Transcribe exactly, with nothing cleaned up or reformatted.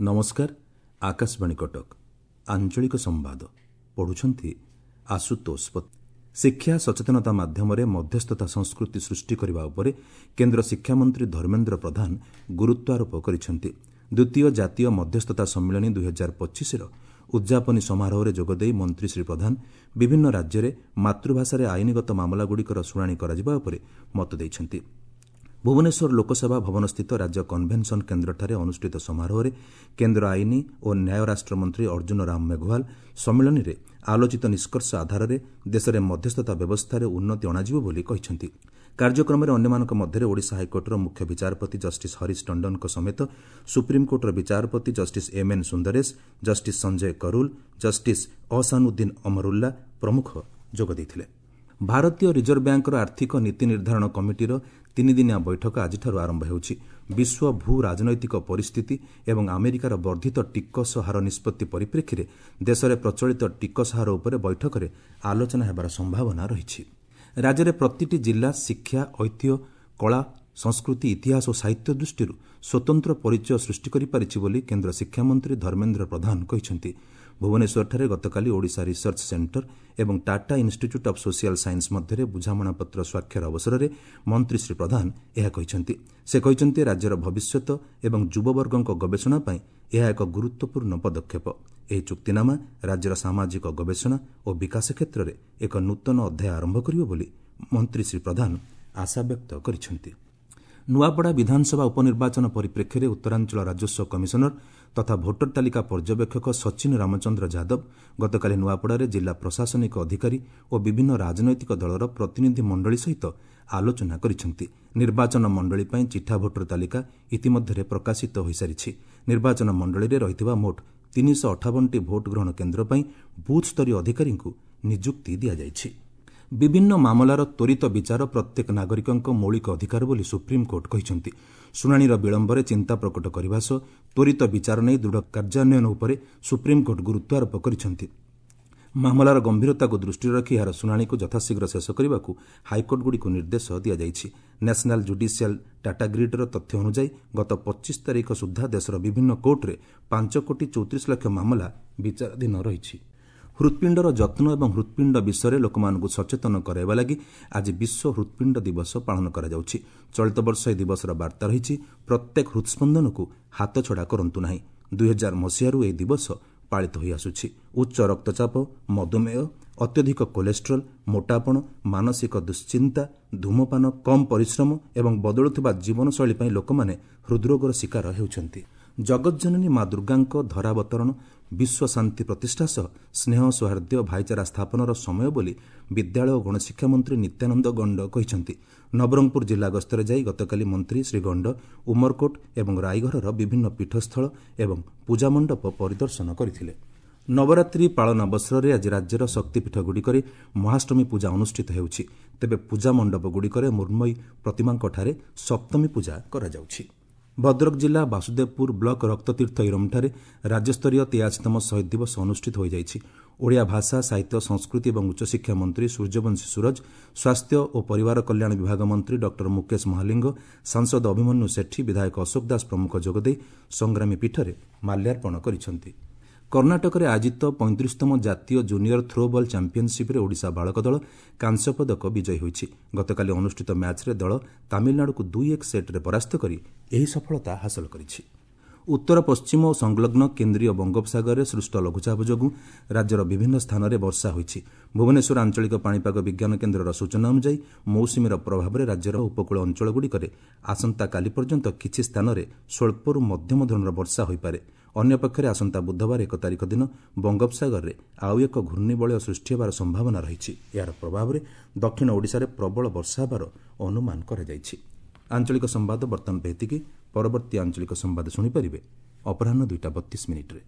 ନମସ୍କାର, ଆକାଶବାଣୀ କଟକ, ଆଞ୍ଚଳିକ ସମ୍ବାଦ ପଢୁଛନ୍ତି ଆଶୁତୋଷ ପତି। ଶିକ୍ଷା ସଚେତନତା ମାଧ୍ୟମରେ ମଧ୍ୟସ୍ଥତା ସଂସ୍କୃତି ସୃଷ୍ଟି କରିବା ଉପରେ କେନ୍ଦ୍ର ଶିକ୍ଷାମନ୍ତ୍ରୀ ଧର୍ମେନ୍ଦ୍ର ପ୍ରଧାନ ଗୁରୁତ୍ୱାରୋପ କରିଛନ୍ତି। ଦ୍ୱିତୀୟ ଜାତୀୟ ମଧ୍ୟସ୍ଥତା ସମ୍ମିଳନୀ ଦୁଇହଜାର ପଚିଶର ଉଦ୍ଯାପନୀ ସମାରୋହରେ ଯୋଗଦେଇ ମନ୍ତ୍ରୀ ଶ୍ରୀ ପ୍ରଧାନ ବିଭିନ୍ନ ରାଜ୍ୟରେ ମାତୃଭାଷାରେ ଆଇନଗତ ମାମଲାଗୁଡ଼ିକର ଶୁଣାଣି କରାଯିବା ଉପରେ ମତ ଦେଇଛନ୍ତି। ଭୁବନେଶ୍ୱର ଲୋକସେବା ଭବନସ୍ଥିତ ରାଜ୍ୟ କନଭେନସନ୍ କେନ୍ଦ୍ରଠାରେ ଅନୁଷ୍ଠିତ ସମାରୋହରେ କେନ୍ଦ୍ର ଆଇନ ଓ ନ୍ୟାୟ ରାଷ୍ଟ୍ରମନ୍ତ୍ରୀ ଅର୍ଜୁନ ରାମ ମେଘୱାଲ ସମ୍ମିଳନୀରେ ଆଲୋଚିତ ନିଷ୍କର୍ଷ ଆଧାରରେ ଦେଶରେ ମଧ୍ୟସ୍ଥତା ବ୍ୟବସ୍ଥାରେ ଉନ୍ନତି ଅଣାଯିବ ବୋଲି କହିଛନ୍ତି। କାର୍ଯ୍ୟକ୍ରମରେ ଅନ୍ୟମାନଙ୍କ ମଧ୍ୟରେ ଓଡ଼ିଶା ହାଇକୋର୍ଟର ମୁଖ୍ୟ ବିଚାରପତି ଜଷ୍ଟିସ୍ ହରିଶ ଟଣ୍ଡନଙ୍କ ସମେତ ସୁପ୍ରିମକୋର୍ଟର ବିଚାରପତି justice M N Sundaresh, justice Sanjay Karol, justice Ahsanuddin Amanullah ପ୍ରମୁଖ ଯୋଗ ଦେଇଥିଲେ। ଭାରତୀୟ ରିଜର୍ଭ ବ୍ୟାଙ୍କର ଆର୍ଥିକ ନୀତି ନିର୍ଦ୍ଧାରଣ କମିଟିର ତିନିଦିନିଆ ବୈଠକ ଆଜିଠାରୁ ଆରମ୍ଭ ହେଉଛି। ବିଶ୍ୱ ଭୂ ରାଜନୈତିକ ପରିସ୍ଥିତି ଏବଂ ଆମେରିକାର ବର୍ଦ୍ଧିତ ଟିକସ ହାର ନିଷ୍ପତ୍ତି ପରିପ୍ରେକ୍ଷୀରେ ଦେଶରେ ପ୍ରଚଳିତ ଟିକସ ହାର ଉପରେ ବୈଠକରେ ଆଲୋଚନା ହେବାର ସମ୍ଭାବନା ରହିଛି। ରାଜ୍ୟରେ ପ୍ରତିଟି ଜିଲ୍ଲା ଶିକ୍ଷା, ଐତିହ୍ୟ, କଳା, ସଂସ୍କୃତି, ଇତିହାସ ଓ ସାହିତ୍ୟ ଦୃଷ୍ଟିରୁ ସ୍ୱତନ୍ତ୍ର ପରିଚୟ ସୃଷ୍ଟି କରିପାରିଛି ବୋଲି କେନ୍ଦ୍ର ଶିକ୍ଷାମନ୍ତ୍ରୀ ଧର୍ମେନ୍ଦ୍ର ପ୍ରଧାନ କହିଛନ୍ତି। ଭୁବନେଶ୍ୱରଠାରେ ଗତକାଲି ଓଡ଼ିଶା ରିସର୍ଚ୍ଚ ସେଣ୍ଟର ଏବଂ Tata institute of social science ମଧ୍ୟରେ ବୁଝାମଣାପତ୍ର ସ୍ୱାକ୍ଷର ଅବସରରେ ମନ୍ତ୍ରୀ ଶ୍ରୀ ପ୍ରଧାନ ଏହା କହିଛନ୍ତି। ସେ କହିଛନ୍ତି, ରାଜ୍ୟର ଭବିଷ୍ୟତ ଏବଂ ଯୁବବର୍ଗଙ୍କ ଗବେଷଣା ପାଇଁ ଏହା ଏକ ଗୁରୁତ୍ୱପୂର୍ଣ୍ଣ ପଦକ୍ଷେପ। ଏହି ଚୁକ୍ତିନାମା ରାଜ୍ୟର ସାମାଜିକ ଗବେଷଣା ଓ ବିକାଶ କ୍ଷେତ୍ରରେ ଏକ ନୂତନ ଅଧ୍ୟାୟ ଆରମ୍ଭ କରିବ ବୋଲି ମନ୍ତ୍ରୀ ଶ୍ରୀ ପ୍ରଧାନ ଆଶାବ୍ୟକ୍ତ କରିଛନ୍ତି। ନୂଆପଡ଼ା ବିଧାନସଭା ଉପନିର୍ବାଚନ ପରିପ୍ରେକ୍ଷୀରେ ଉତ୍ତରାଞ୍ଚଳ ରାଜସ୍ୱ କମିଶନର ତଥା ଭୋଟର ତାଲିକା ପର୍ଯ୍ୟବେକ୍ଷକ ସଚିନ ରାମଚନ୍ଦ୍ର ଯାଦବ ଗତକାଲି ନୂଆପଡ଼ାରେ ଜିଲ୍ଲା ପ୍ରଶାସନିକ ଅଧିକାରୀ ଓ ବିଭିନ୍ନ ରାଜନୈତିକ ଦଳର ପ୍ରତିନିଧି ମଣ୍ଡଳୀ ସହିତ ଆଲୋଚନା କରିଛନ୍ତି। ନିର୍ବାଚନ ମଣ୍ଡଳୀ ପାଇଁ ଚିଠା ଭୋଟର ତାଲିକା ଇତିମଧ୍ୟରେ ପ୍ରକାଶିତ ହୋଇସାରିଛି। ନିର୍ବାଚନ ମଣ୍ଡଳୀରେ ରହିଥିବା ମୋଟ ତିନିଶହ ଅଠାବନଟି ଭୋଟ ଗ୍ରହଣ କେନ୍ଦ୍ର ପାଇଁ ବୁଥ୍ସ୍ତରୀୟ ଅଧିକାରୀଙ୍କୁ ନିଯୁକ୍ତି ଦିଆଯାଇଛି। ବିଭିନ୍ନ ମାମଲାର ତ୍ୱରିତ ବିଚାର ପ୍ରତ୍ୟେକ ନାଗରିକଙ୍କ ମୌଳିକ ଅଧିକାର ବୋଲି ସୁପ୍ରିମକୋର୍ଟ କହିଛନ୍ତି। ଶୁଣାଣିର ବିଳମ୍ବରେ ଚିନ୍ତା ପ୍ରକଟ କରିବା ସହ ତ୍ୱରିତ ବିଚାର ନେଇ ଦୃଢ଼ କାର୍ଯ୍ୟାନ୍ୱୟନ ଉପରେ ସୁପ୍ରିମକୋର୍ଟ ଗୁରୁତ୍ୱାରୋପ କରିଛନ୍ତି। ମାମଲାର ଗମ୍ଭୀରତାକୁ ଦୃଷ୍ଟିରେ ରଖି ଏହାର ଶୁଣାଣିକୁ ଯଥାଶୀଘ୍ର ଶେଷ କରିବାକୁ ହାଇକୋର୍ଟଗୁଡ଼ିକୁ ନିର୍ଦ୍ଦେଶ ଦିଆଯାଇଛି। ନ୍ୟାସନାଲ୍ ଜୁଡିସିଆଲ ଡାଟା ଗ୍ରିଡ୍ର ତଥ୍ୟ ଅନୁଯାୟୀ ଗତ ପଚିଶ ତାରିଖ ସୁଦ୍ଧା ଦେଶର ବିଭିନ୍ନ କୋର୍ଟରେ ପାଞ୍ଚ କୋଟି ଚଉତିରିଶ ଲକ୍ଷ ମାମଲା ବିଚାରାଧୀନ ରହିଛି। ହୃତ୍ପିଣ୍ଡର ଯତ୍ନ ଏବଂ ହୃତ୍ପିଣ୍ଡ ବିଷୟରେ ଲୋକମାନଙ୍କୁ ସଚେତନ କରାଇବା ଲାଗି ଆଜି ବିଶ୍ୱ ହୃତ୍ପିଣ୍ଡ ଦିବସ ପାଳନ କରାଯାଉଛି। ଚଳିତ ବର୍ଷ ଏହି ଦିବସର ବାର୍ତ୍ତା ରହିଛି, ପ୍ରତ୍ୟେକ ହୃତ୍ସ୍ପନ୍ଦନକୁ ହାତଛଡ଼ା କରନ୍ତୁ ନାହିଁ। ଦୁଇହଜାର ମସିହାରୁ ଏହି ଦିବସ ପାଳିତ ହୋଇଆସୁଛି। ଉଚ୍ଚ ରକ୍ତଚାପ, ମଧୁମେହ, ଅତ୍ୟଧିକ କୋଲେଷ୍ଟ୍ରଲ, ମୋଟାପଣ, ମାନସିକ ଦୁଶ୍ଚିନ୍ତା, ଧୂମପାନ, କମ୍ ପରିଶ୍ରମ ଏବଂ ବଦଳୁଥିବା ଜୀବନଶୈଳୀ ପାଇଁ ଲୋକମାନେ ହୃଦ୍ରୋଗର ଶିକାର ହେଉଛନ୍ତି। ଜଗଜ୍ଜନନୀ ମା ଦୁର୍ଗାଙ୍କ ଧରାବତରଣ ବିଶ୍ୱ ଶାନ୍ତି ପ୍ରତିଷ୍ଠା ସହ ସ୍ନେହ, ସୌହାର୍ଦ୍ଦ୍ୟ, ଭାଇଚାରା ସ୍ଥାପନର ସମୟ ବୋଲି ବିଦ୍ୟାଳୟ ଓ ଗଣଶିକ୍ଷା ମନ୍ତ୍ରୀ ନିତ୍ୟାନନ୍ଦ ଗଣ୍ଡ କହିଛନ୍ତି। ନବରଙ୍ଗପୁର ଜିଲ୍ଲା ଗସ୍ତରେ ଯାଇ ଗତକାଲି ମନ୍ତ୍ରୀ ଶ୍ରୀ ଗଣ୍ଡ ଉମରକୋଟ ଏବଂ ରାଇଘରର ବିଭିନ୍ନ ପୀଠସ୍ଥଳ ଏବଂ ପୂଜାମଣ୍ଡପ ପରିଦର୍ଶନ କରିଥିଲେ। ନବରାତ୍ରି ପାଳନ ଅବସରରେ ଆଜି ରାଜ୍ୟର ଶକ୍ତିପୀଠଗୁଡ଼ିକରେ ମହାଷ୍ଟମୀ ପୂଜା ଅନୁଷ୍ଠିତ ହେଉଛି। ତେବେ ପୂଜା ମଣ୍ଡପଗୁଡ଼ିକରେ ମୃଣ୍ମୟୀ ପ୍ରତିମାଙ୍କଠାରେ ସପ୍ତମୀ ପୂଜା କରାଯାଉଛି। ଭଦ୍ରକ ଜିଲ୍ଲା ବାସୁଦେବପୁର ବ୍ଲକ ରକ୍ତତୀର୍ଥ ଇରମଠାରେ ରାଜ୍ୟସ୍ତରୀୟ ତେୟାଅଶୀତମ ଶହୀଦ ଦିବସ ଅନୁଷ୍ଠିତ ହୋଇଯାଇଛି। ଓଡ଼ିଆ ଭାଷା, ସାହିତ୍ୟ, ସଂସ୍କୃତି ଏବଂ ଉଚ୍ଚଶିକ୍ଷା ମନ୍ତ୍ରୀ ସୂର୍ଯ୍ୟବଂଶୀ ସୂରଜ, ସ୍ୱାସ୍ଥ୍ୟ ଓ ପରିବାର କଲ୍ୟାଣ ବିଭାଗ ମନ୍ତ୍ରୀ ଡକ୍ଟର ମୁକେଶ ମହାଲିଙ୍ଗ, ସାଂସଦ ଅଭିମନ୍ୟୁ ସେଠୀ, ବିଧାୟକ ଅଶୋକ ଦାସ ପ୍ରମୁଖ ଯୋଗଦେଇ ସଂଗ୍ରାମୀ ପୀଠରେ ମାଲ୍ୟାର୍ପଣ କରିଛନ୍ତି। କର୍ଣ୍ଣାଟକରେ ଆୟୋଜିତ ପଇଁତିରିଶତମ ଜାତୀୟ ଜୁନିୟର ଥ୍ରୋ ବଲ୍ ଚାମ୍ପିୟନସିପ୍ରେ ଓଡ଼ିଶା ବାଳକ ଦଳ କାଂସ୍ୟ ପଦକ ବିଜୟୀ ହୋଇଛି। ଗତକାଲି ଅନୁଷ୍ଠିତ ମ୍ୟାଚ୍ରେ ଦଳ ତାମିଲନାଡୁକୁ ଦୁଇ ଏକ ସେଟ୍ରେ ପରାସ୍ତ କରି ଏହି ସଫଳତା ହାସଲ କରିଛି। ଉତ୍ତର ପଶ୍ଚିମ ଓ ସଂଲଗ୍ନ କେନ୍ଦ୍ରୀୟ ବଙ୍ଗୋପସାଗରରେ ସୃଷ୍ଟ ଲଘୁଚାପ ଯୋଗୁଁ ରାଜ୍ୟର ବିଭିନ୍ନ ସ୍ଥାନରେ ବର୍ଷା ହୋଇଛି। ଭୁବନେଶ୍ୱର ଆଞ୍ଚଳିକ ପାଣିପାଗ ବିଜ୍ଞାନ କେନ୍ଦ୍ରର ସୂଚନା ଅନୁଯାୟୀ ମୌସୁମୀର ପ୍ରଭାବରେ ରାଜ୍ୟର ଉପକୂଳ ଅଞ୍ଚଳଗୁଡ଼ିକରେ ଆସନ୍ତାକାଲି ପର୍ଯ୍ୟନ୍ତ କିଛି ସ୍ଥାନରେ ସ୍ୱଳ୍ପରୁ ମଧ୍ୟମ ଧରଣର ବର୍ଷା ହୋଇପାରେ। ଅନ୍ୟପକ୍ଷରେ ଆସନ୍ତା ବୁଧବାର ଏକ ତାରିଖ ଦିନ ବଙ୍ଗୋପସାଗରରେ ଆଉ ଏକ ଘୂର୍ଣ୍ଣିବଳୟ ସୃଷ୍ଟି ହେବାର ସମ୍ଭାବନା ରହିଛି। ଏହାର ପ୍ରଭାବରେ ଦକ୍ଷିଣ ଓଡ଼ିଶାରେ ପ୍ରବଳ ବର୍ଷା ହେବାର ଅନୁମାନ କରାଯାଇଛି। ଆଞ୍ଚଳିକ ସମ୍ବାଦ ବର୍ତ୍ତମାନ ପାଇଁ ଏତିକି। ପରବର୍ତ୍ତୀ ଆଞ୍ଚଳିକ ସମ୍ବାଦ ଶୁଣିପାରିବେ ଅପରାହ୍ନ ଦୁଇଟା ବତିଶ ମିନିଟ୍ରେ।